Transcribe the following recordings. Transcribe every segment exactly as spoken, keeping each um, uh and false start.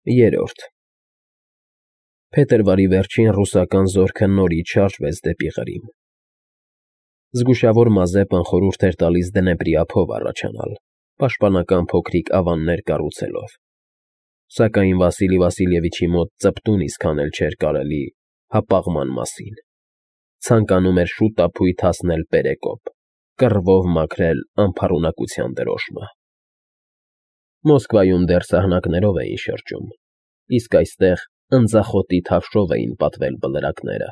Երրորդ Փետրվարի վերջին ռուսական զորքը նորից շարժվեց դեպի Ղրիմ։ Զգուշավոր Մազեպն խորհուրդ էր տալիս Դնեպրի ափով առաջանալ, պաշտպանական փոքրիկ ավաններ կառուցելով, սակայն Վասիլի Վասիլևիչի մոտ ծպտուն իսկան էլ չէր կարելի հապաղման մասին, ցանկանում էր շուտափույթ հասնել Պերեկոպ, կռվով մաքրել անփառունակության դրոշմը։ Մոսկվայում դեռ սահնակներով էին շրջում, իսկ այստեղ ընձախոտի թավշով էին պատվել բլրակները,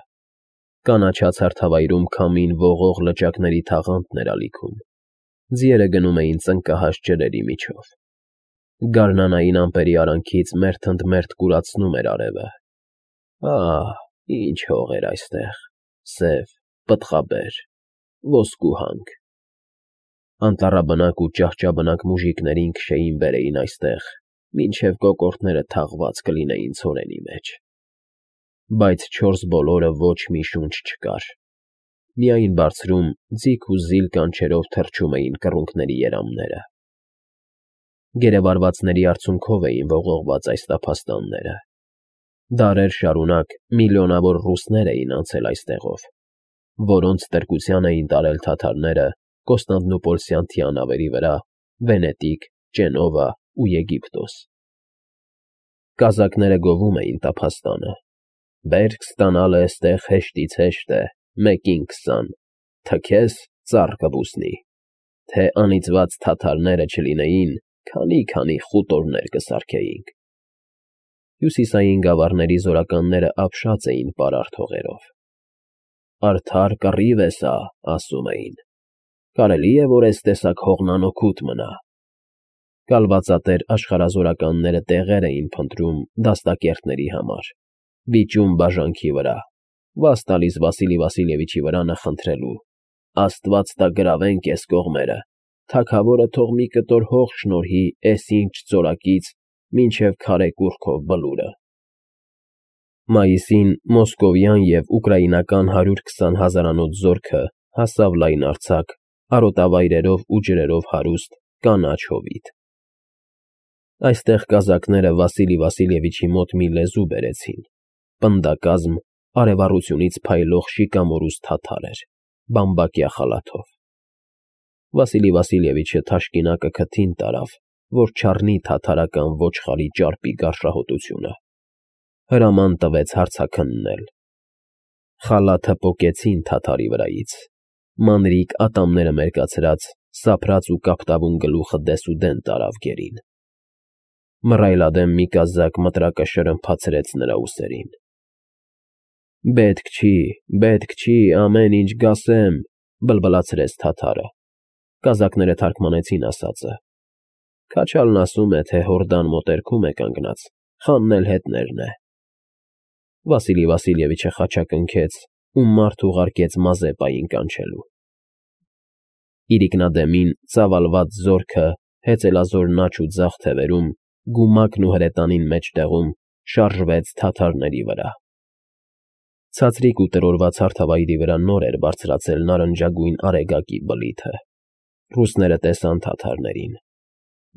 կանաչած հարթավայրում քամին ողող լճակների թաղանթն էր ալիքում, ձիերը գնում էին ծնկահաս ջրերի միջով, գարնանային ամպերի արանքից մերթընդմերթ կուրացնում էր արևը։ Ահ, ինչ հող էր այստեղ, սև, պտղաբեր, ոսկու հանք։ Անտառաբնակ ու ճահճաբնակ մուժիկներին քշեին բերեին այստեղ, մինչև կոկորդները թաղված կլինեին ցորենի մեջ։ Բայց չորս բոլորը ոչ մի շունչ չկար, միայն բարձրում ձիգ ու զիլ կանչերով թռչում էին կռունկների երամները։ Գերեվարվածների արցունքով էին ողողված այս տափաստանները։ Դարեր շարունակ միլիոնավոր ռուսներ էին անցել այստեղով, որոնց տրկության էին տարել թաթարները Կոստանդնուպոլսյան թիանավերի վրա, Վենետիկ, Ճենովա ու Եգիպտոս։ Կազակները գովում էին տափաստանը. «Բերք ստանալը էստեղ հեշտից հեշտ է, մեկին քսան, թքես ծառ կբուսնի, թե անիծված թաթարները չլինեին, քանի֊քանի խուտորներ կսարքեինք»։ Հյուսիսային գավառների զորականները ապշած էին պարարտ հողերով։ «Արդար կռիվ է սա», ասում էին, «կարելի է, որ էս տեսակ հողն անօգուտ մնա»։ Կալվածատեր աշխարհազորականները տեղեր էին փնտրում դաստակերտների համար, վիճում բաժանքի վրա, վաս տալիս Վասիլի Վասիլևիչի վրա նախընտրելու. «Աստված տա գրավենք էս կողմերը, թագավորը թող մի կտոր հող շնորհի էս ինչ ծորակից մինչև քարե կուռքով բլուրը»։ Մայիսին մոսկովյան և ուկրաինական հարյուր քսան հազարանոց զորքը հասավ լայնարձակ, արոտավայրերով ու ջրերով հարուստ կանաչ հովիտ։ Այստեղ կազակները Վասիլի Վասիլևիչի մոտ մի լեզու բերեցին, պնդակազմ, արևառությունից փայլող շիկամորուս թաթար էր, բամբակյա խալաթով։ Վասիլի Վասիլևիչը թաշկինակը քթին տարավ, որ չառնի թաթարական ոչխարի ճարպի գարշահոտությունը, հրաման տվեց հարցաքննել։ Խալաթը պոկեցին թաթարի վրայից, մանրիկ ատամները մերկացրած, սափրած ու կապտավուն գլուխը դեսուդեն տարավ գերին։ Մռայլադեմ մի կազակ մտրակը շրմփացրեց նրա ուսերին։ «Պետք չի, պետք չի, ամեն ինչ գասեմ», բլբլացրեց թաթարը։ Կազակները թարգմանեցին ասածը։ Քաչալն ասում է, թե հորդան մոտերքում է կանգնած, խանն էլ հետներն է։ Վասիլի Վասիլևիչը խաչակնքեց ու մարդ ուղարկեց Մազեպային կանչելու։ Իրիկնադեմին ծավալված զորքը հեծելազոր նաչ ու ձախ թևերում, գումակն ու հրետանին մեջտեղում շարժվեց թաթարների վրա։ Ցածրիկ ու տրորված հարթավայրի վրա նոր էր բարձրացել նարնջագույն արեգակի բլիթը։ Ռուսները տեսան թաթարներին։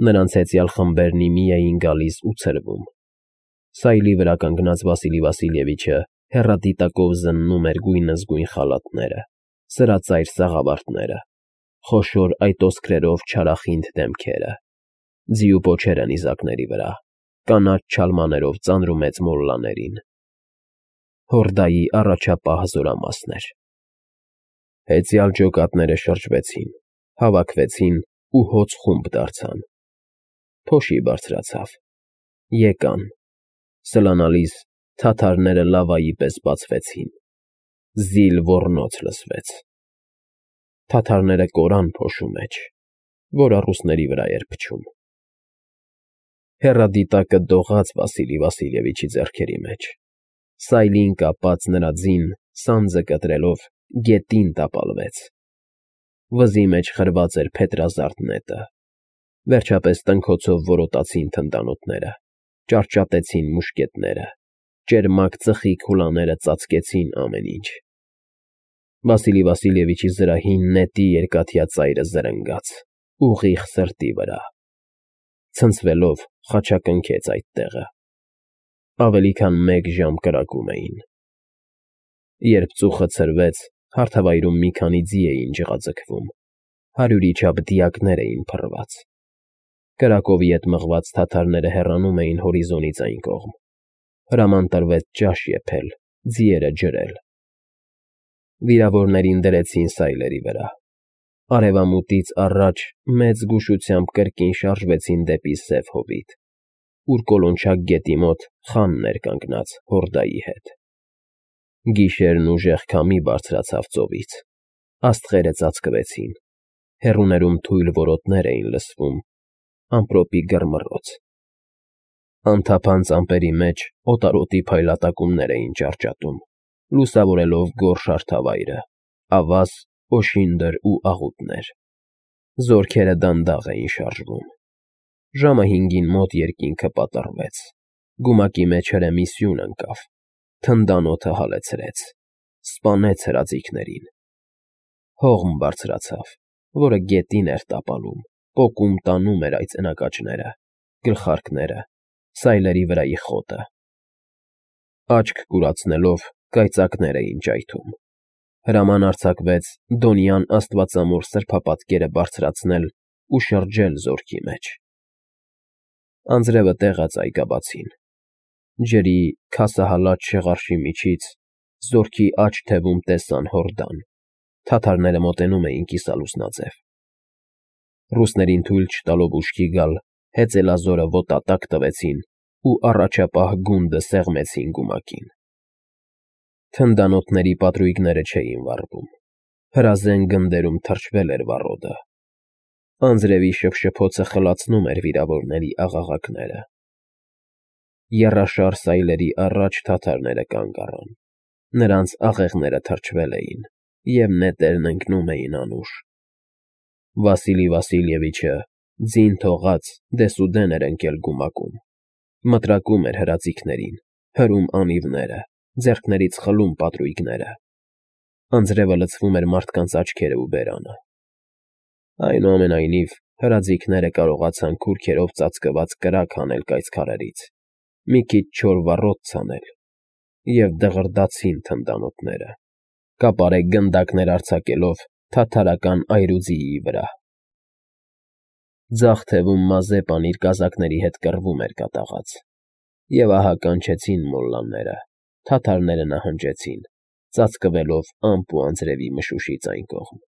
Նրանց հեծյալ խմբերն ի մի էին գալիս ու ցրվում։ Սայլի վրա կանգնած Վասիլի Վասիլևիչը հեռադիտակով զննում էր գույնզգույն խալաթները, սրածայր սաղավարտները, խոշոր այտոսկրերով չարախինդ դեմքերը, ձիու պոչերը նիզակների վրա, կանաչ չալմաներով ծանրումեծ մոլլաներին։ Հորդայի առաջապահ զորամասն էր։ Հեծյալ ջոկատները շրջվեցին, հավաքվեցին ու հոծ խումբ դարձան։ Փոշի բարձրացավ։ Եկան։ Սլանալիս թաթարները լավայի պես բացվեցին։ Զիլ ոռնոց լսվեց։ Թաթարները կորան փոշու մեջ, որը ռուսների վրա էր փչում։ Հեռադիտակը դողաց Վասիլի Վասիլևիչի ձեռքերի մեջ։ Սայլին կապած նրա ձին, սանձը կտրելով, գետին տապալվեց։ Վզի մեջ խրված էր փետրազարդ նետը։ Վերջապես տնքոցով որոտացին թնդանոթները, ճարճատեցին մուշկետները, ճերմակ ծխի քուլաները ծածկեցին ամեն ինչ։ Վասիլի Վասիլևիչի զրահին նետի երկաթյա ծայրը զրնգաց, ուղիղ սրտի վրա։ Ցնցվելով խաչակնքեց այդ տեղը։ ավելի քան մեկ ժամ կրակում էին։ Երբ ծուխը ցրվեց, հարթավայրում մի քանի ձի էին ջղաձգվում, հարյուրի չափ դիակներ էին փռված։ Կրակով ետ մղված թաթարները հեռանում էին հորիզոնից այն կողմ։ Հրաման տրվեց ճաշ եփել, ձիերը ջրել։ Վիրավորներին դրեցին սայլերի վրա։ Արևամուտից առաջ մեծ զգուշությամբ կրկին շարժվեցին դեպի Սև Հովիտ, ուր Կոլոնչակ գետի մոտ խանն էր կանգնած հորդայի հետ։ Գիշերն ուժեղ քամի բարձրացավ ծովից, աստղերը ծածկվեցին, հեռուներում թույլ որոտներ էին լսվում, ամպրոպի գռմռոց։ Անթափանց ամպերի մեջ օտարոտի փայլատակումներ էին ճարճատում, լուսավորելով գորշ հարթավայրը, ավազ, օշինդր ու աղուտներ։ Զորքերը դանդաղ էին շարժվում։ Ժամը հինգին մոտ երկինքը պատռվեց, գումակի մեջ հրեմի սյուն ընկավ, թնդան օդը հալեցրեց, սպանեց հրաձիգներին։ Հողմ բարձրացավ, որը գետին էր տապալում, պոկում տանում էր այդ ծնկաճները, գլխարկները, սայլերի վրայի խոտը։ Աչք կուրացնելով կայծակներ էին ճայթում։ Հրաման արձակվեց դոնյան աստվածամոր սրբապատկերը բարձրացնել ու շրջել զորքի մեջ։ Անձրևը տեղաց այգաբացին։ Ջրի քասահալած շեղարշի միջից զորքի աջ թևում տեսան Հորդան, թաթարները մոտենում էին կիսալուսնաձև։ Ռուսներին թույլ չտալով ուշքի գալ, հեծելազորը ոտատակ տվեցին ու առաջապահ գունդը սեղմեցին գումակին։ Թնդանոթների պատրույգները չէին վառվում, հրազեն գնդերում թրջվել էր վառոդը։ Անձրևի շփշփոցը խլացնում էր վիրավորների աղաղակները։ Եռաշար սայլերի առաջ թաթարները կանգ առան, նրանց աղեղները թրջվել էին, և նետերն ընկնում էին անուշ։ Վասիլի Վասիլևիչը ձին թողած դեսուդեն էր ընկել գումակում, մտրակում էր հրաձիգներին, հրում անիվները, ձեռքներից խլում պատրույգները։ Անձրևը լցվում էր մարդկանց աչքերը ու բերանը։ Այնուամենայնիվ, հրաձիգները կարողացան քուրքերով ծածկված կրակ հանել կայծքարերից, մի քիչ չոր վառոդ ցանել և դղրդացին թնդանոթները, կապարե գնդակներ արձակելով թաթարական այրուձիի վրա։ Ձախ թևում Մազեպան իր կազակների հետ կռվում էր կատաղած, և ահա կանչեցին մոլլաները, թաթարները նահանջեցին, ծածկվելով ամպ ու անձրևի մշուշից այն կողմ։